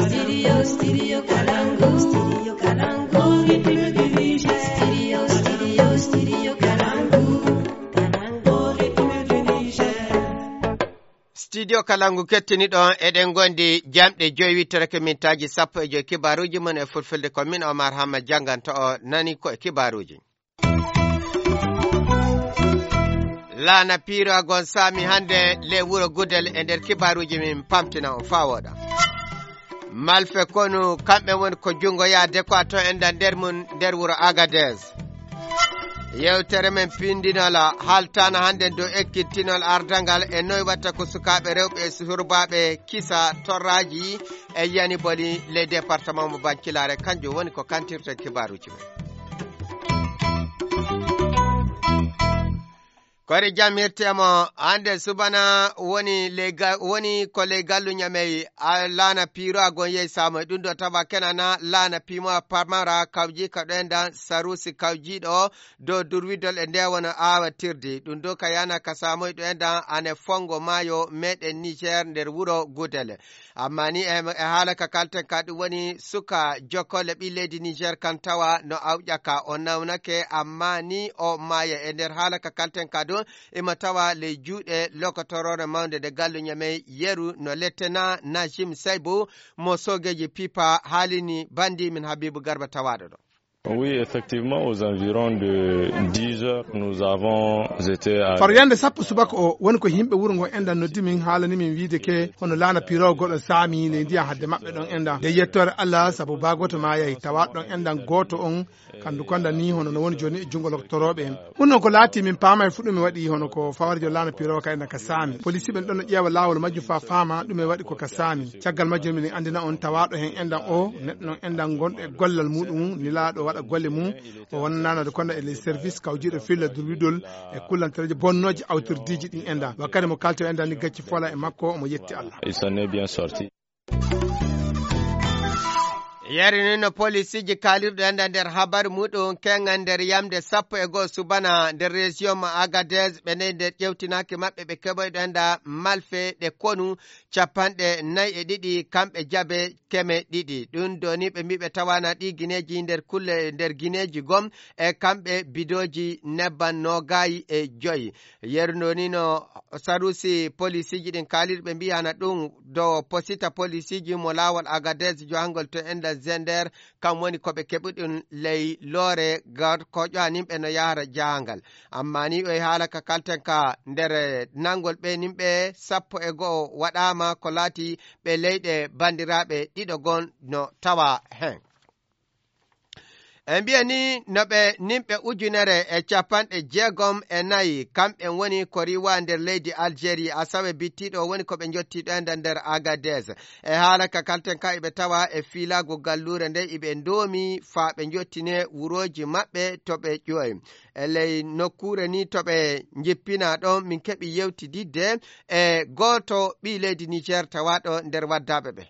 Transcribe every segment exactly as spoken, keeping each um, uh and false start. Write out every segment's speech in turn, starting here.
Studio, Studio Kalangu, Studio Kalangu, Studio, Studio, Studio Kalangu, Kalangu, Studio Kalangu kettiniɗo on, eɗen gondi jamɗe joyi wittorake mintaaji sappo e joyi kibaaruuji mon e fulfulde. Ko min Omar Hamma jannganta o nani ko e kibaaruuji. Laana piiro agon saami hannde le wuro Gudel e nder kibaaruuji min pamtina on faa wooɗa. Malfe konu kamɓe woni ko junngo yaade ko a to enda nder mum nder wuro Agadez. Yewtere men pindinol haaltaana hannde dow ekkitinol ardangal e noy watta ko sukaaɓe rewɓe e surbaaɓe kisa torraaji e yani boli le département mo Bankilaare. Kanjum woni ko kantirte kibaaruuji men. Kori jam hirtemo hannde subana woni ley ga- woni ko ley gallu ñamey a laana piiro agon yehi samoy ɗum ɗo tawa kenana laana piimo a pamara kawji ka ɗo endan sarusi kawjiɗo dow durwidol e nde wona awa tirdi ɗum ɗo ka yana ka samoy ɗo endan ane fongo maayo meɗen Niger nder wuro Gudel. Amma ni e e haala ka kalten ka ɗum woni suka jokkole ɓi leydi Niger kan tawa no awƴaka o nawnake amma ni o maaya e nder haala ka kalten ka ɗum ima tawa ley juuɗe lokotorore mawnde nde gallu ñamey yeru no lettena Najim Saybu mo sogeji pipa haalini bandi min Habibu Garba tawaɗo ɗo. Oui, effectivement, aux environs de dix heures, nous avons été à... Faro yande sappo subaka o woni ko yimɓe wuro ngo enɗan noddi min haalani min wiide ke hono laana pirowo goɗɗo saami ley ndiyan hadde maɓɓe ɗon enɗan nde yettore Allah sabu baagoto ma yahi tawa ɗon enɗan gooto on kandu konda ni hono no woni joni e junngo loktorooɓe en. Ɗum noon ko laati min paama e fuɗɗume waɗi hono ko fawarjo laana pirowo ka enɗan ka saami polisi ɓen ɗon no ƴeewa laawol majjum faa faama ɗume waɗi ko ka saami. Caggal majjum min anndina on tawaaɗo heen enɗan o neɗɗo noon enɗan gonɗo e gollal muɗum nilaaɗo waɗa golle mum o wonnanade kono e les service kawjiiɗo filla durwidol e kullantereeji bonnooji awtirdiiji ɗin enɗan wakkati mo kalto enɗan ni gacci fola e makko omo yetti Allah. Il s'en est bien sorti. Yari ni no polisiji kaalirɗo enɗan nder habaru muɗum kengan nder yamde sappo e goo subana nder région mo Agadez ɓe ney nder ƴewtinaaki maɓɓe ɓe keɓoyɗo enɗan malfe ɗe konu capanɗe nayi e ɗiɗi kamɓe jabe keme ɗiɗi ɗum doni ɓe mbiɓe tawana ɗi gineji nder kulle nder gineji gom e kamɓe bidoji nebban nogayi e joyi. Yeru ndoni no sarusi polisiji ɗin kaalirɓe mbiyana ɗum dow posita polisiji mo lawol Agadez johangol to enda zender kam woni ko ɓe keɓuɗum ley loore garkoƴo aninɓe no yahara jahangal. Amma ni o e haala ka kalten ka nder nangol ɓe nimɓe sappo e go'o waɗaama ko laati ɓe leyɗe banndiraaɓe ɗiɗo gon no tawa heen. E mbiya ni no ɓe nimɓe ujunere e capanɗe jeegom e nayi kamɓen woni ko riwa nder leydi Algérie asawe bittiɗo woni ko ɓe jottiɗo e nder Agadez. E haala ka kalten ka iɓe tawa e fiilaagu galluure nde iɓe ndoomi faa ɓe njottine wurooji maɓɓe to ɓe ƴooyi. E ley nokkuure ni to ɓe njippina ɗon min keɓi yewtididde e gooto ɓii leydi Niger tawaaɗo nder waddaaɓe ɓe.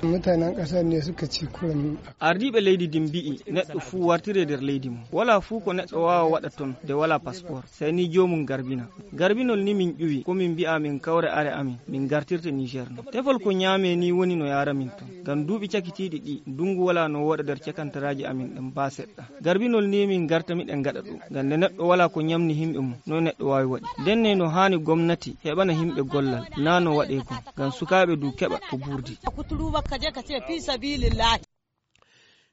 Mutanen ƙasar ne suka ci kurum. Ardiiɓe leydi din mbi'i neɗɗo fuu wartire nder leydi mum. Walaa fuu ko neɗɗo waawa waɗa ton nde walaa paspor, sey ni joomum garbina. Garbinol ni min ƴuwi, ko min mbi'a min kawre are amin, min gartirte Niger no. Tefol ko ñaame ni woni no yaara min ton. Ngam duuɓi cakitiiɗi ɗi, ndungu walaa no wooɗa nder cakantaraaji amin ɗen baa seɗɗa. Garbinol ni min garta miɗen gaɗa ɗum. Ngam nde neɗɗo walaa ko ñamni himɓe mum, noy neɗɗo waawi waɗi? Nden ne no haani gomnati heɓana himɓe gollal, naa no waɗee kon. Ngam sukaaɓe du keɓa ko burdi.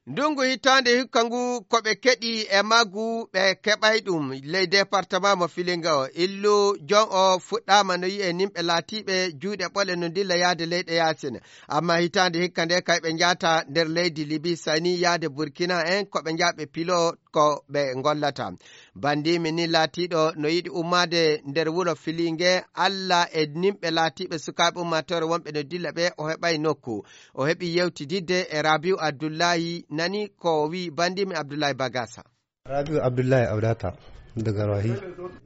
Ndungu hitaande hikka ngu ko ɓe keɗi e maggu ɓe keɓay ɗum ley departement mo Filinga o. Illu jon o fuɗɗaama no yi'e nimɓe laatiiɓe juuɗe ɓole no ndilla yaade leyɗe yaasin. Amma hitaande hikka nde kay ɓe njaata nder leydi Libi sani yaade Burkina en ko ɓe njaaɓe pilo ko ɓe ngollata. Bandimi ni laatiiɗo no yiɗi ummaade nder wuro Filinge, Alla e nimɓe laatiiɓe sukaaɓe ummaatoore wonɓe no dilla ɓe o heɓay nokku. O heɓi yewtididde e Rabiu Abdullahi nani ko wi bandimi Abdullahi Bagasa. Rabiu Abdullahi Audata.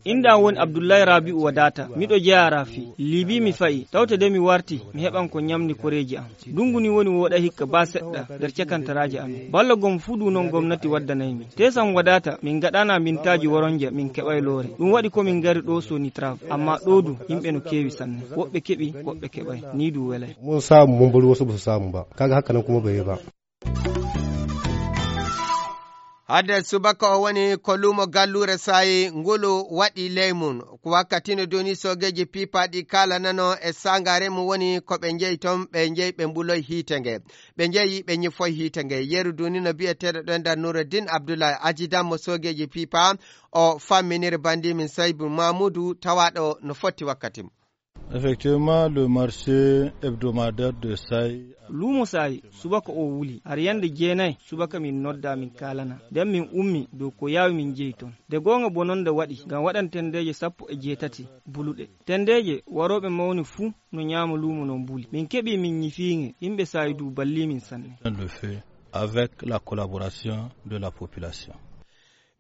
Inda woni Abdullahi Rabi'u Wadata. Miɗo jeyaa Rafi. Libi mi fa'i. Tawte de mi warti, mi heɓan ko ɲamni koreeji am. Ndungu ni woni wooɗa hikka ba seɗɗa nder cakantaraaji amin. Balla gom fuu du non gomnati waddanay mi. Teesam Wadata, min gaɗana mintaaji woronja, min keɓay loore. Ɗum waɗi ko min ngari ɗo Sonitrave. Amma ɗo du, yimɓe no keewi sanne. Woɓɓe keɓi, woɓɓe keɓay. Ni du welay. Mun samu, mun bari wasu ba su samu ba. Kaga haka nan kuma bai yi ba. Hadde subaka o woni ko luumo galluure Saayi ngulu waɗi ley mum. Ko wakkati no doni soogeeji piipaaɗi kaalanano e saangaare mum woni ko ɓe njeyi toon, ɓe njeyi ɓe mbuloy hiite nge. Ɓe njeyi ɓe ñifoy hiite nge. Yeru duni no biyeteeɗo ɗo nder Nuruddin Abdullahi, ajidan mo soogeeji piipa, o famminiri banndi min Saybu Mamudu tawaaɗo no fotti wakkati mum. Effectivement, le marché hebdomadaire de Saï. Luumo Saayi, subaka o wuli. Har yande jeenay, subaka min nodda, min kaalana. Nden min ummi dow ko yaawi min jeyi toon. De goonga bononda waɗi, ngam waɗan tendeeje sappo e jeetati buluɗe. Tendeeje warooɓe mawni fuu no ñaama luumo non buli. Min keɓi min ñifiinge, yimɓe Saayi du balli min sanne. Le fait avec la collaboration de la population.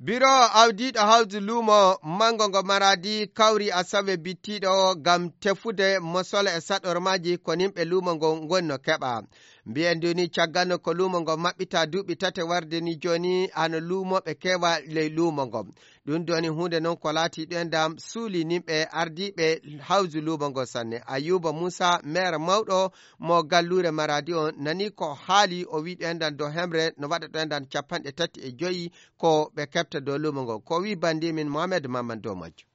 Biro awdiiɗo hawdu luumo manngo ngo Maradi kawri asawe bittiiɗo ngam tefude mosol e saɗormaaji ko nimɓe luumo ngo ngoni no keɓa. Mbiyen duni caggal no ko luumo ngo maɓɓita duuɓi tate warde ni jooni hano luumooɓe keewa ley luumo ngo. Ɗum doni huunde non ko laati ɗoyndam suuli nimɓe ardiiɓe hawdu luumo ngo sanne. Ayuba Muusa, meer mawɗo mo galluure Maradi on, nani ko haali o wi ɗoyndam dow hemre no waɗa ɗoyndam capanɗe tati e joyi ko ɓe keɓta dow luumo ngo. Ko wi banndi min Mohamed Mamman dow majjum.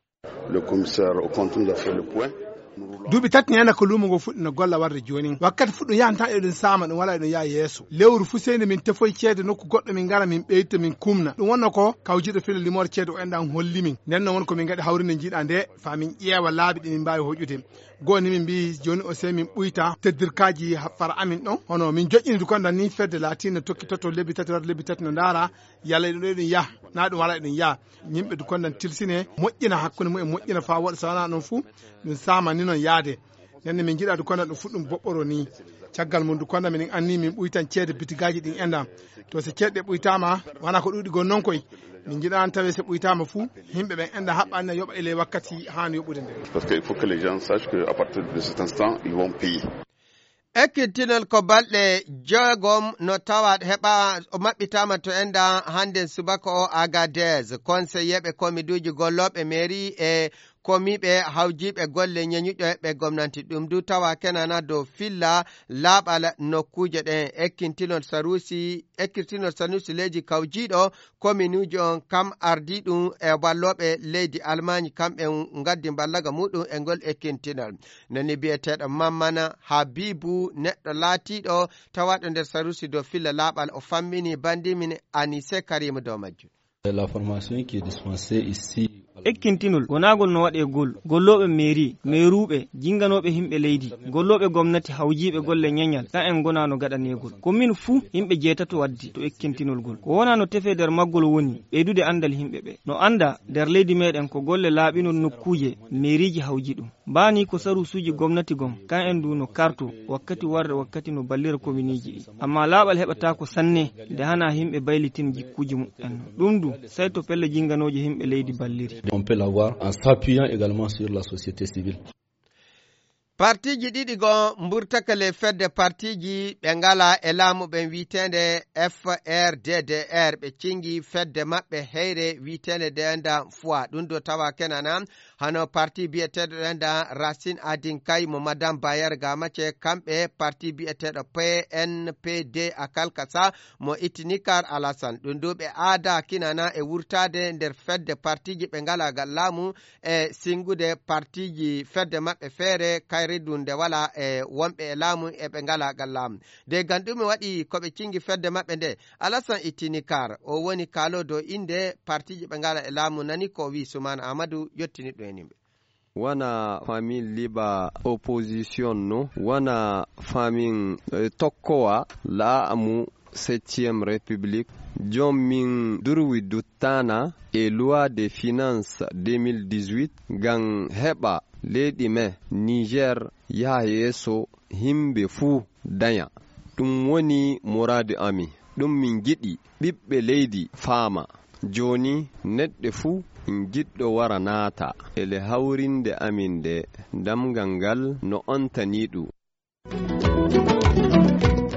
Le commissaire au compte nous a fait le point. Duuɓi tati neena ko luumo ngo fuɗɗi no golla warde jooni. Wakkati fuɗɗo yahanta eɗen saama ɗum wala eɗen yaha yeeso. Lewru fuu seyni min tefoy ceede nokku goɗɗo min ngara min ɓeyta min kumna. Ɗum wonno ko kawjiɗo fila limoore ceede o enɗan holli min. Nden non won ko min ngaɗi hawrinde njiiɗa nde faa min ƴeewa laabi ɗi min mbaawi hoƴude. Goo ni min mbii jooni o sey min ɓuyta teddirkaaji ha-, fara amin ɗon. Hono min joƴƴini dukonda ni fedde laatiinde tokkitotto lebbi tati warde lebbi tati no ndaara yalla eɗum ɗo eɗum yaha, naa ɗum wala eɗum yaha. Yimɓe dukonda tilsine moƴƴina hakkunde mum e moƴƴina faa waɗa so wanaa ɗum fuu ɗum saama ni non yaade. Nden ne min njiɗa dukonda ɗum fuɗɗum boɓɓoro ni. Caggal mum dukonda minen anni min ɓuytan ceede bitigaaji ɗin enɗan. To so ceede ɗe ɓuytaama, wanaa ko ɗuuɗi gon non koy. Min njiɗa an tawe so ɓuytaama fuu, yimɓe ɓen enɗan haɓɓa anniya yoɓa e ley wakkati haani yoɓude nden. Parce qu'il faut que les gens sachent qu'à partir de cet instant, ils vont payer. Ekkitinol ko balɗe jeegom no tawa heɓa o maɓɓitaama to enɗan hannden subaka o Agadez. Konseyeeɓe komiduuji gollooɓe mairie e komiiɓe hawjiiɓe golle ñeñuɗe ɓe gomnanti. Ɗum du tawa kenana dow filla laaɓal nokkuuje ɗen. Ekkintinol Sanusi, ekkintinol Sanusi leydi kawjiiɗo kominuuji on kam ardii ɗum e wallooɓe leydi Almaañ, kamɓe ngaddi mballaga muɗum e ngol ekkintinol. Nani biyeteeɗo Mammana Habibu, neɗɗo laatiiɗo tawaaɗo nder Sanusi dow filla laaɓal, o fammini banndi min Anise Karimu dow majjum. La formation qui est dispensée ici. Ekkintinol, gonaagol no waɗee gol, gollooɓe mairie, mairuuɓe, jinganooɓe himɓe leydi, gollooɓe gomnati hawjiiɓe golle ñeñal, kan en gonaa no gaɗaneegol. Commune fuu, yimɓe jeetato waddi to ekkintinol gol. Ko wonaa no tefee nder maggol woni ɓeydude anndal yimɓe ɓe. No anndaa nder leydi meeɗen ko golle laaɓinol nokkuuje mairiiji hawji ɗum. Mbaani ko saruusuuji gomnati gom, kan en du no karto wakkati warde wakkati no ballira kominiiji ɗi. Amma laaɓal heɓataako sanne nde hana yimɓe baylitin jikkuuji muɓɓen. Ɗum du, sey to pelle jinganooje yimɓe leydi balliri. On peut l'avoir en s'appuyant également sur la société civile. Partiiji ɗiɗi goo mburtaka le fedde partiiji ɓe ngala e laamu ɓen wi'eteende F R D D R, ɓe cingi fedde maɓɓe heyre wi'eteende Deenda Foi. Ɗum do tawa kenana hano parti bi'eteeɗo Deenda Racine Adinkai mo Madame Bayer Gamace, kamɓe parti bi'eteeɗo P N P D a Kalkasa mo Itinikar Alassane. Ɗum du ɓe aada kinana e wurtaade nder fedde partiiji ɓe ngala gal laamu e singude partiiji fedde maɓɓe feere kayre du nde wala e wonɓe e laamu e ɓe ngala gal laamu. De gam ɗume waɗi ko ɓe cingi fedde maɓɓe nde? Alassane Itinikar, o woni kaalo dow innde partiiji ɓe ngala e laamu, nani ko wi Suman Ahmadu, yottini ɗum en yimɓe. Wana famin liba opposition no, wana famin, eh, tokkowa laamu septième république. Jom min durwi duttana e loi de finance deux mille dix-huit, gam heɓa leydi men Niger yaha yeeso, himɓe fuu daña. Ɗum woni muraadu amin. Ɗum min njiɗi ɓiɓɓe leydi faama. Jooni neɗɗo fuu Jiɗɗo wara naata ele hawrinde amin nde, damngal ngal no ontanii ɗum.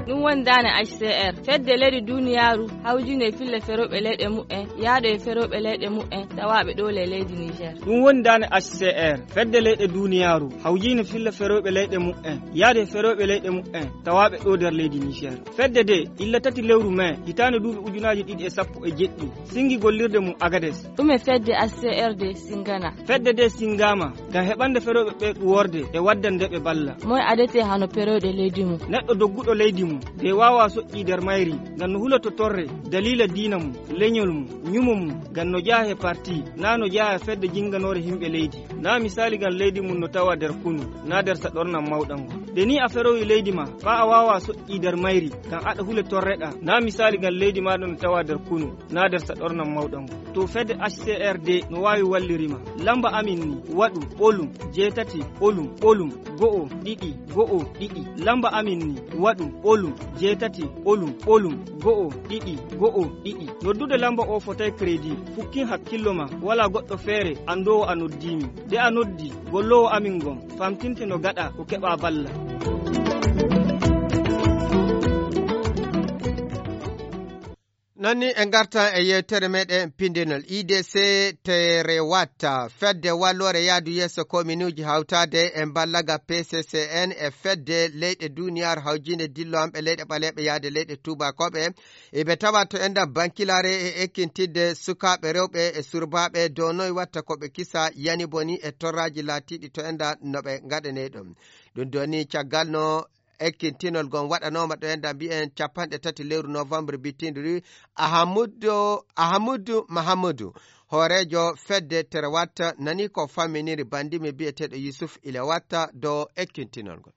Ɗum woni daane H C R, fedde leyɗe duniyaaru hawjinde e fille ferooɓe leyɗe mumen, yahde e ferooɓe leyɗe mumen, tawaaɓe ɗo le leydi Niger. Ɗum woni daane H C R, fedde leyɗe duniyaaru hawjinde fille ferooɓe leyɗe mumen, yahde e ferooɓe leyɗe mumen, tawaaɓe ɗo nder leydi Niger. Fedde de, illa tati lewru mai, hitaande duuɓi ujunaaji ɗiɗi e sappo e jeɗɗi, singi gollirde mum Agades. Ɗum e fedde H C R de singana. Fedde de singama, ngam heɓande ferooɓe ɓe ɗuworde e waddan nde ɓe balla. Moy adete hano ferooɓe leydi mum? Neɗɗo dogguɗo leydi mum, de waawa soƴƴi nder mayri, ngam no huloto torre, daliila diina mum, leñol mum, ñumo mum, ngam no jeyaa e parti, naa no jeyaa e fedde jinganoore yimɓe leydi. Naa misaali ngam leydi mum no tawa nder kunu, naa nder saɗornam mawɗam ngon. De ni a ferowi leydi ma, faa a waawa soƴƴi nder mayri, ngam aɗa hule torreɗaa. Naa misaali ngam leydi maaɗa no tawa nder kunu, naa nder saɗornam mawɗam ngon. To fedde H C R D no waawi walliri ma. Lamba amin ni, waɗu, ɓolum, jeetati, ɓolum, ɓolum, go'o, ɗiɗi, go'o, ɗiɗi. Lamba amin ni, waɗu, ɓolum, jeetati, ɓolum, ɓolum, go'o, ɗiɗi, go'o, ɗiɗi. Noddude lamba o fotay credit, fukkin hakkillo ma, walaa goɗɗo feere anndoowo a noddii min. De a noddi, golloowo amin ngon, famtinte no gaɗa ko keɓa balla. Non ni en ngartan e yewtere meɗen pindinol. I D C Terewat, fedde walloore yaadu yeeso kominuuji hawtaade e mballaga P C C N e fedde leyɗe duniyaaru hawjinde dillowanɓe leyɗe ɓaleeɓe yaade leyɗe tuubakooɓe. Eɓe tawa to enda bankilaare e ekkintidde sukaaɓe rewɓe e surbaaɓe dow noy watta ko ɓe kisa yani boni e torraaji laatiiɗi to enda no ɓe ngaɗanee ɗum. Ɗum ɗo ni caggal no ekkintinol ngon waɗanooma ɗo enda mbiyen capanɗe tati lewru novembre bittindu ndi. Ahamudu, Ahamudu Mahamudu, hooreejo fedde Terewat, nani ko famminiri bandimi biyeteeɗo Yusuf Ilewat dow ekkintinol ngol.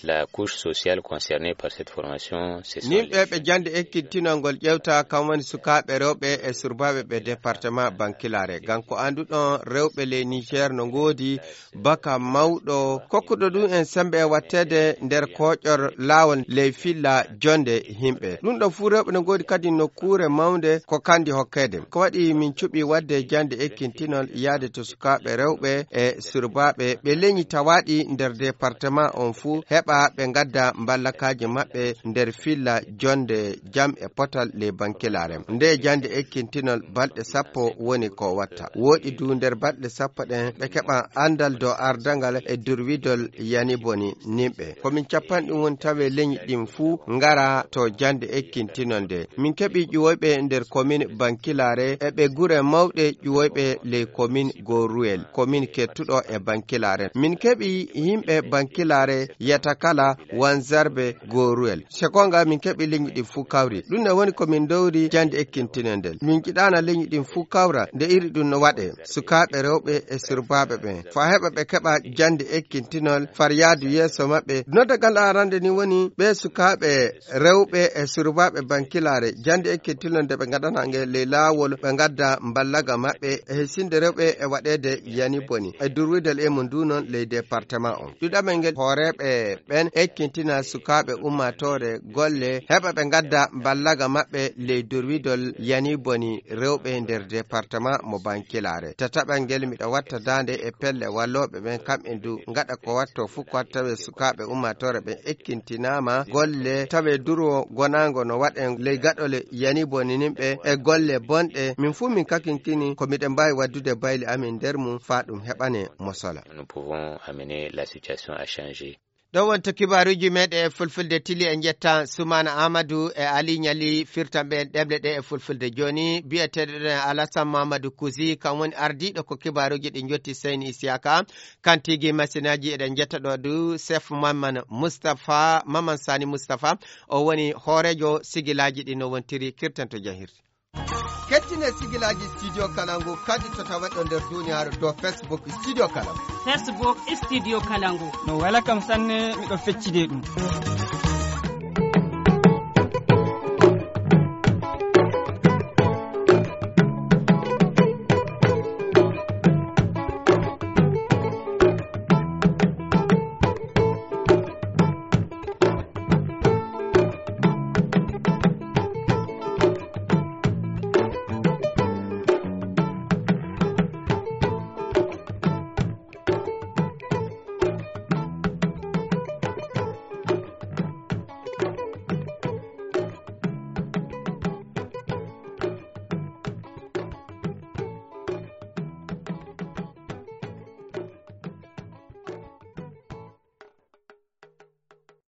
La couche sociale concernée par cette formation, ce sont Nimɓe les ɓe jeunes. Jannde ekkintinol ngol ƴewta kam woni sukaaɓe rewɓe e surbaaɓe ɓe département Bankilaare. Ngam ko annduɗon rewɓe ley Niger no ngoodi baka mawɗo kokkuɗo ɗum en sembe e watteede nder kooƴor laawol ley filla jonde yimɓe. Ɗum ɗo fuu rewɓe no ngoodi kadi nokkuure mawnde ko kandi hokkeede. Ko waɗi min cuɓi waɗde jannde ekkintinol yaade to sukaaɓe rewɓe e surbaaɓe ɓe leñi tawaaɗi nder département on fuu heɓa ɓe ngadda mballakaaji maɓɓe nder filla jonde jam e potal ley Bankilaare. Nde jannde ekkintinol balɗe sappo woni ko watta. Wooɗi du nder balɗe sappo ɗen ɓe keɓa anndal dow ardangal e durwidol yani boni nimɓe. Ko min capanɗe woni tawe leñi ɗin fuu ngara to jannde ekkintinol nde. Min keɓi ƴuwoyɓe nder komin Bankilaare e ɓe gure mawɗe ƴuwoyɓe ley komin Goruwel, komin kettuɗo e Bankilaare. Min keɓi yimɓe Bankilaare yata kala Wanzarbe Goruwel. Sekonga min keɓi leñi ɗin fuu kawri. Ɗum ne woni ko min dowri jannde ekkintinol ndel. Min jiɗaana leñi ɗin fuu kawra nde iri ɗum no waɗe. Sukaaɓe rewɓe e surbaaɓe ɓen. Faa heɓa ɓe keɓa jannde ekkintinol far yaadu yeeso maɓɓe. Noddagal arande ni woni ɓe sukaaɓe rewɓe e surbaaɓe Bankilaare, jannde ekkitinol nde ɓe ngaɗana ngel ley laawol, ɓe ngadda mballaga maɓɓe e hisinde rewɓe e waɗeede yani boni e durwidal e mum ndu noon ley département on. Ɗiɗaɓel ngel hooreeɓe ɓen ekkintina sukaaɓe ummaatoore golle, heɓa ɓe ngadda mballaga maɓɓe ley durwidol yani boni rewɓe nder département mo Bankilaare. Tataɓal ngel miɗo watta daande e pelle wallooɓe ɓen, kamɓe du ngaɗa ko watto fuu ko tawe sukaaɓe ummaatoore ɓen ekkintinaama golle, tawe duro gonaango no waɗen ley gaɗole yani bonininɓe e golle bonɗe. Min fuu min kakinkini ko miɗen mbaawi waddude bayli amin nder mum faa ɗum heɓane mosola. Nous pouvons amener la situation à changer. Ɗo wonto kibaaruuji meɗen e fulfulde tili. En njetta Sumaana Amadou e Ali Ñali firtanɓe en ɗemle ɗe e fulfulde. Jooni biyeteeɗo ɗen Alassane Mamadou Kouzi, kam woni ardiiɗo ko kibaaruuji ɗi njotti Seyni Isiyaka. Kan tigi masinaaji eɗen njetta ɗo du chef Maman Moustapha, Maman Sani Moustapha, o woni hooreejo sigilaaji ɗi no wontiri kirtanto jahirde. Kettine sigilaaji Studio Kalangu kadi to tawaɗo nder duniyaaru to Facebook Studio Kalangu. Facebook Studio Kalangu. No wela kam sanne, miɗo feccide ɗum.